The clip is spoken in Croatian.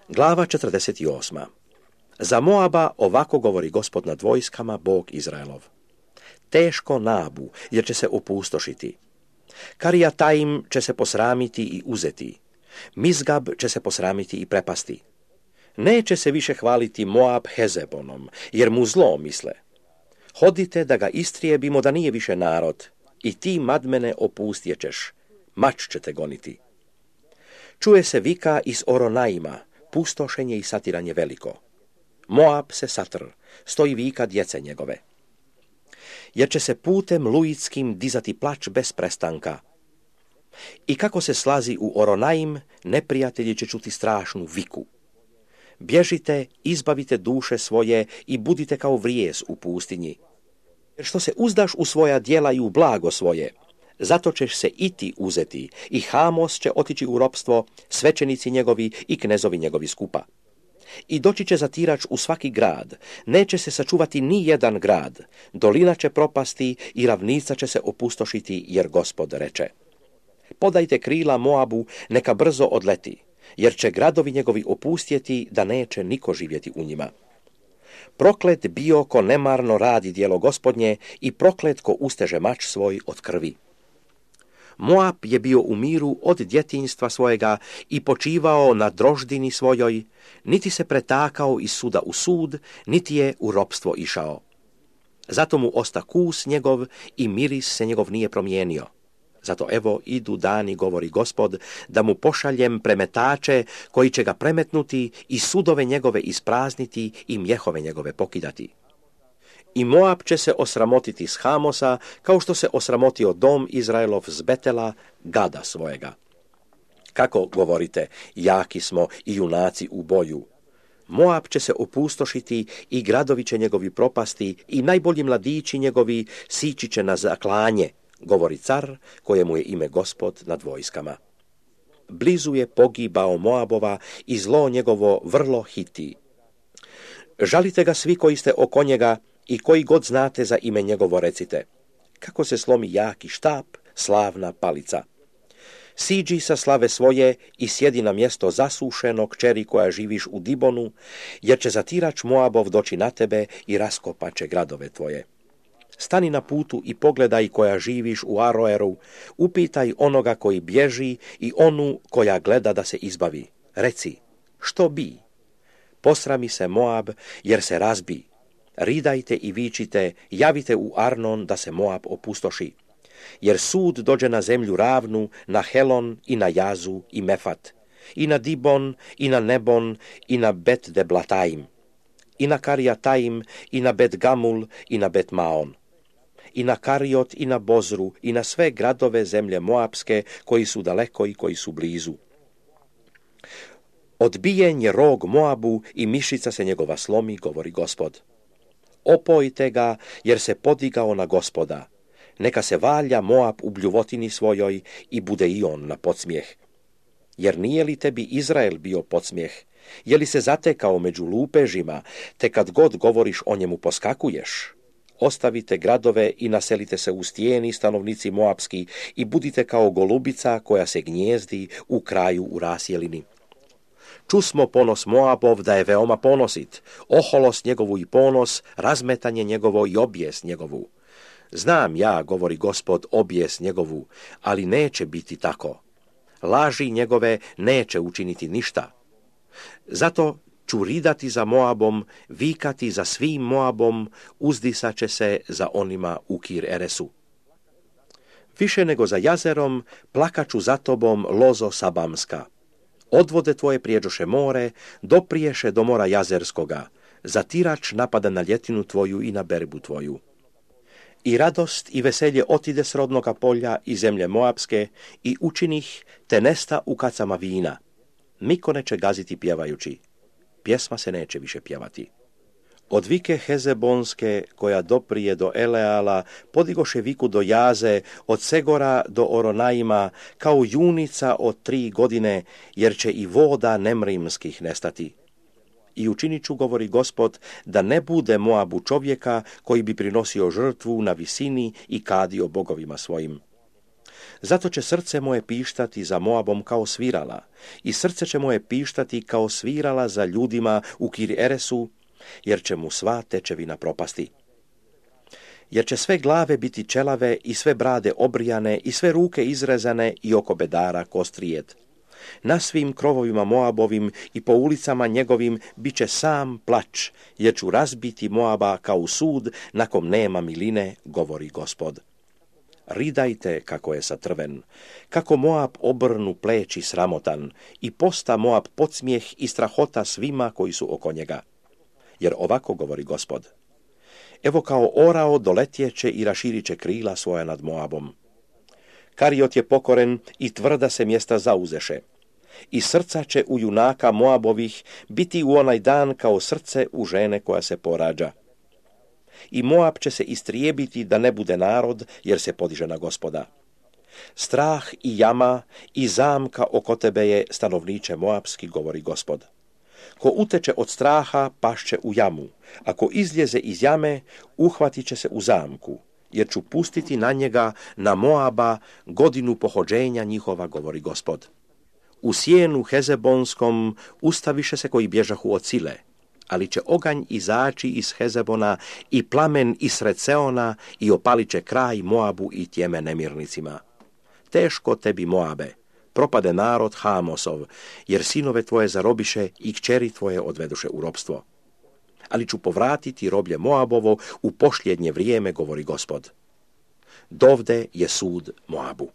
Glava 48. Za Moaba ovako govori Gospod nad vojskama, Bog Izraelov. Teško Nabu, jer će se opustošiti. Karijataim će se posramiti i uzeti. Mizgab će se posramiti i prepasti. Neće se više hvaliti Moab Hezebonom, jer mu zlo misle. Hodite da ga istrijebimo da nije više narod, i ti Madmene opustjećeš, mač će te goniti. Čuje se vika iz Oronaima, pustošenje i satiranje veliko. Moab se satr, stoji vika djece njegove. Jer će se putem luitskim dizati plač bez prestanka. I kako se slazi u Oronaim, neprijatelji će čuti strašnu viku. Bježite, izbavite duše svoje i budite kao vrijez u pustinji. Jer što se uzdaš u svoja djela i u blago svoje, zato ćeš se i ti uzeti, i Hamos će otići u ropstvo, svećenici njegovi i knezovi njegovi skupa. I doći će zatirač u svaki grad, neće se sačuvati ni jedan grad, dolina će propasti i ravnica će se opustošiti, jer Gospod reče. Podajte krila Moabu, neka brzo odleti, jer će gradovi njegovi opustjeti, da neće niko živjeti u njima. Proklet bio ko nemarno radi djelo Gospodnje i proklet ko usteže mač svoj od krvi. Moab je bio u miru od djetinjstva svojega i počivao na droždini svojoj, niti se pretakao iz suda u sud, niti je u ropstvo išao. Zato mu osta kus njegov i miris se njegov nije promijenio. Zato evo idu dani, govori Gospod, da mu pošaljem premetače koji će ga premetnuti i sudove njegove isprazniti i mjehove njegove pokidati. I Moab će se osramotiti s Hamosa, kao što se osramotio dom Izraelov s Betela, gada svojega. Kako govorite, jaki smo i junaci u boju? Moab će se opustošiti i gradovi će njegovi propasti i najbolji mladići njegovi sići će na zaklanje, govori car kojemu je ime Gospod nad vojskama. Blizu je pogibao Moabova i zlo njegovo vrlo hiti. Žalite ga svi koji ste oko njega i koji god znate za ime njegovo recite. Kako se slomi jaki štap, slavna palica. Siđi sa slave svoje i sjedi na mjesto zasušeno, kćeri koja živiš u Dibonu, jer će zatirač Moabov doći na tebe i raskopaće gradove tvoje. Stani na putu i pogledaj koja živiš u Aroeru, upitaj onoga koji bježi i onu koja gleda da se izbavi. Reci, što bi? Posrami se Moab, jer se razbi. Ridajte i vičite, javite u Arnon da se Moab opustoši. Jer sud dođe na zemlju ravnu, na Helon i na Jazu i Mefat, i na Dibon i na Nebon i na Bet Deblataim, i na Karijataim i na Bet Gamul i na Bet Maon, i na Kariot i na Bozru i na sve gradove zemlje Moabske koji su daleko i koji su blizu. Odbijen je rog Moabu i mišica se njegova slomi, govori Gospod. Opojte ga, jer se podigao na Gospoda. Neka se valja Moab u bljuvotini svojoj i bude i on na podsmijeh. Jer nije li tebi Izrael bio podsmijeh? Je li se zatekao među lupežima, te kad god govoriš o njemu poskakuješ? Ostavite gradove i naselite se u stijeni, stanovnici Moabski, i budite kao golubica koja se gnjezdi u kraju u rasjelini. Čusmo ponos Moabov da je veoma ponosit, oholost njegovu i ponos, razmetanje njegovo i objes njegovu. Znam ja, govori Gospod, objes njegovu, ali neće biti tako. Laži njegove neće učiniti ništa. Zato ću ridati za Moabom, vikati za svim Moabom, uzdisat će se za onima u Kir Eresu. Više nego za jazerom, plakaću za tobom, lozo Sabamska. Odvode tvoje prijeđoše more, dopriješe do mora Jazerskoga, zatirač napada na ljetinu tvoju i na berbu tvoju. I radost i veselje otide s rodnoga polja i zemlje Moabske i učinih te nesta u kacama vina. Niko neće gaziti pjevajući, pjesma se neće više pjevati. Od vike Hezebonske, koja doprije do Eleala, podigoše viku do Jaze, od Segora do Oronaima, kao junica od 3 godine, jer će i voda nemrimskih nestati. I učinit ću, govori Gospod, da ne bude Moabu čovjeka koji bi prinosio žrtvu na visini i kadio bogovima svojim. Zato će srce moje pištati za Moabom kao svirala, i srce će moje pištati kao svirala za ljudima u Kir-Eresu, jer će mu sva tečevina propasti. Jer će sve glave biti čelave i sve brade obrijane i sve ruke izrezane i oko bedara kostrijed. Na svim krovovima Moabovim i po ulicama njegovim bit će sam plač, jer ću razbiti Moaba kao sud na kom nema miline, govori Gospod. Ridajte kako je satrven, kako Moab obrnu pleći sramotan i posta Moab podsmijeh i strahota svima koji su oko njega. Jer ovako govori Gospod. Evo kao orao doletjeće i raširit će krila svoja nad Moabom. Kariot je pokoren i tvrda se mjesta zauzeše. I srca će u junaka Moabovih biti u onaj dan kao srce u žene koja se porađa. I Moab će se istrijebiti da ne bude narod, jer se podiže na Gospoda. Strah i jama i zamka oko tebe je, stanovniče Moabski, govori Gospod. Ko uteče od straha, pašće u jamu. Ako izljeze iz jame, uhvatit će se u zamku, jer ću pustiti na njega, na Moaba, godinu pohođenja njihova, govori Gospod. U sjenu Hezebonskom ustaviše se koji bježahu od sile, ali će oganj izaći iz Hezebona i plamen iz Sreseona i opalit će kraj Moabu i tjeme nemirnicima. Teško tebi, Moabe, propade narod Hamosov, jer sinove tvoje zarobiše i kćeri tvoje odveduše u ropstvo. Ali ću povratiti roblje Moabovo u posljednje vrijeme, govori Gospod. Dovde je sud Moabu.